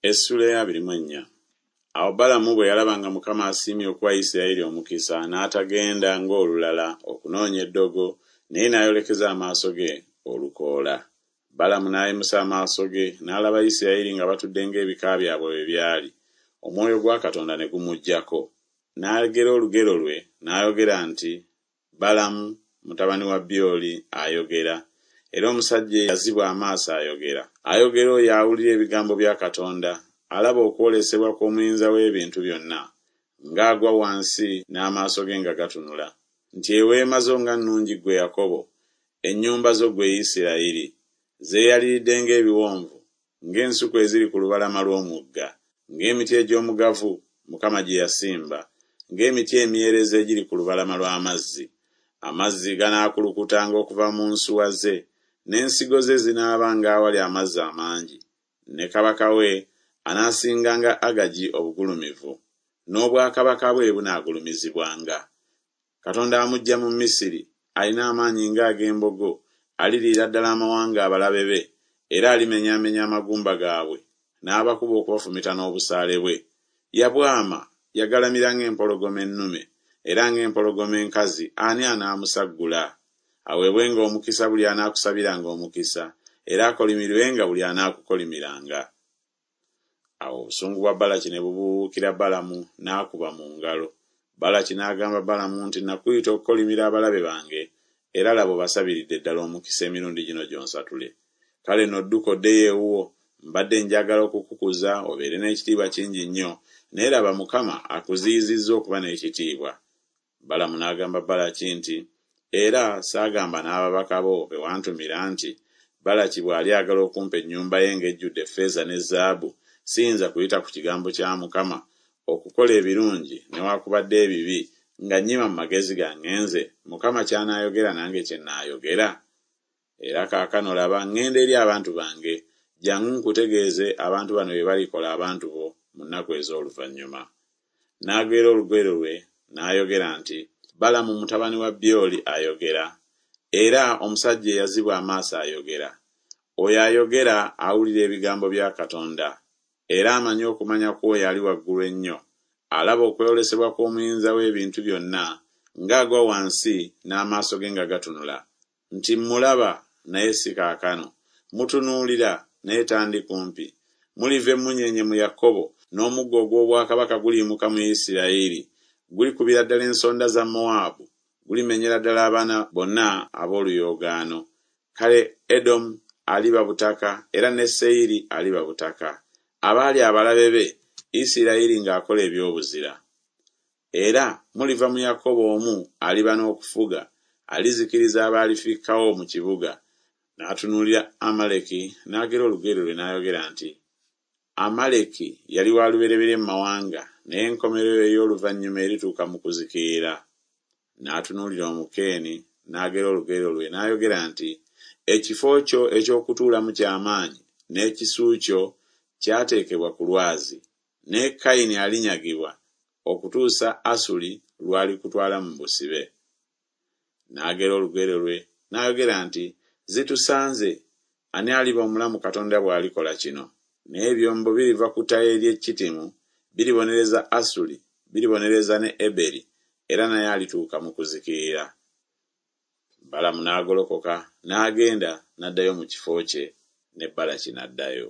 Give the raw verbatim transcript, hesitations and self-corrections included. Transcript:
Essula ey'abiri mu ennya. Awo Balamu bwe yalaba nga Mukama asiimye okuwa Isirayiri omukisa, n'atagenda ng'olulala okunoonya eddogo, naye n'ayolekeza amaaso ge olukoola. Balamu n'ayimusa amaaso ge, n'alaba Isirayiri nga batudde ng'ebika byabwe bwe byali. Omwoyo gwa Katonda ne gumujjako. N'agera olugero lwe, n'ayogera nti, Balamu mutabani wa Byoli ayogera, era omusajja eyazibwa amaaso ayogera. Ayogera oyo awulira ebigambo bya Katonda, alaba okwolesebwa kw'Omuyinza w'ebintu byonna, ng'agwa wansi n'amaaso ge nga gatunula, nti eweema zo nga nnungi ggwe Yakobo, ennyumba zo ggwe Isirayiri! Zeeyaliridde ng'ebiwonvu, ng'ensuku eziri ku lubalama lw'omugga, ng'emiti egy'omugavu Mukama gye yasimba, ng'emiti emyerezi egiri ku lubalama lw'amazzi. Amazzi ganaakulukutanga okuva mu nsuwa ze, n'ensigo ze zinaabanga awali amazzi amangi. Ne kabaka we anaasinganga Agagi obugulumivu, n'obwakabaka bwe bunaagulumizibwanga. Katonda amuggya mu Misiri, alina amaanyi ng'ag'embogo, aliriira ddala amawanga abalabe be, era alimenyaamenya amagumba gaabwe, n'abakuba okubafumita n'obusaale bwe. Yabwama, yagalamira ng'empologoma ennume, era ng'empologoma enkazi ani anaamusaggula? Aweebwenga omukisa buli anaakusabiranga omukisa, era akolimirwenga buli anaakukolimiranga. Awo obusungu bwa Balaki ne bubuubuukira Balamu, n'akuba mu ngalo. Balaki n'agamba Balamu nti, Nakuyita okukolimira abalabe bange, era laba obasabiridde ddala omukisa emirundi gino gyonsatule. Kale nno dduka oddeyo ewuwo, mbadde njagala okukukuza obeere n'ekitiibwa kingi nnyo, naye laba Mukama akuziyizizza okuba n'ekitiibwa. Balamu n'agamba Balaki nti, Era saagamba n'ababaka bo be wantumira nti, Balaki bw'alyagala okumpa ennyumba ye ng'ejjudde effeeza ne zaabu, siyinza kuyita ku kigambo kya Mukama okukola ebirungi newaakubadde ebibi, nga nnyima mu magezi gange nze, Mukama ky'anaayogera nange kye nnaayogera? Era kaakano laba ŋŋenda eri abantu bange, jjangu nkutegeeze abantu bano bye balikola abantu bo mu nnaku ez'oluvannyuma. N'agera olugero lwe n'ayogera nti, Balamu mutabani wa Byoli ayogera, era omusajja eyazibwa amaaso ayogera. Oyo ayogera awulira ebigambo bya Katonda, era amanyi okumanya kw'oyo Ali Waggulu Ennyo, alaba okwolesebwa kw'Omuyinza w'ebintu byonna, ng'agwa wansi n'amaaso ge nga gatunula, nti mmulaba, naye si kaakano, mutunuulira, naye tandi kumpi. Muliva emmunyeenye mu Yakobo, n'omuggo ogw'obwakabaka guliyimuka mu Isirayiri. Gulikubira ddala ensonda za Mowaabu, gulimenyera ddala abaana bonna ab'oluyoogaano. Kale Edomu aliba butaka, era ne Seyiri aliba butaka. Abaali abalabe be, Isirayiri ng'akola eby'obuzira. Era muliva mu Yakobo omu aliba n'okufuga, alizikiriza abalifikkawo mu kibuga. N'atunuulira Amaleki, n'agera olugero lwe n'ayogera nti, Amaleki yali wa lubereberye mu mawanga, naye enkomerero ey'oluvannyuma erituuka mu kuzikirira. N'atunuulira Omukeeni, n'agera olugero lwe n'ayogera nti, Ekifo kyo eky'okutuulamu kya maanyi, n'ekisu kyo kyateekebwa ku lwazi. Naye Kayini alinyagibwa, okutuusa Asuli lw'alikutwala mu busibe. N'agera olugero lwe n'ayogera nti, Zitusanze! Ani aliba omulamu Katonda bw'alikola kino? Naye ebyombo biriva ku ttale ly'e Kittimu, biribonereza Asuli, biribonereza ne Eberi, era naye alituuka mu kuzikirira. Balamu n'agolokoka n'agenda n'addayo mu kifo kye, ne Balaki n'addayo.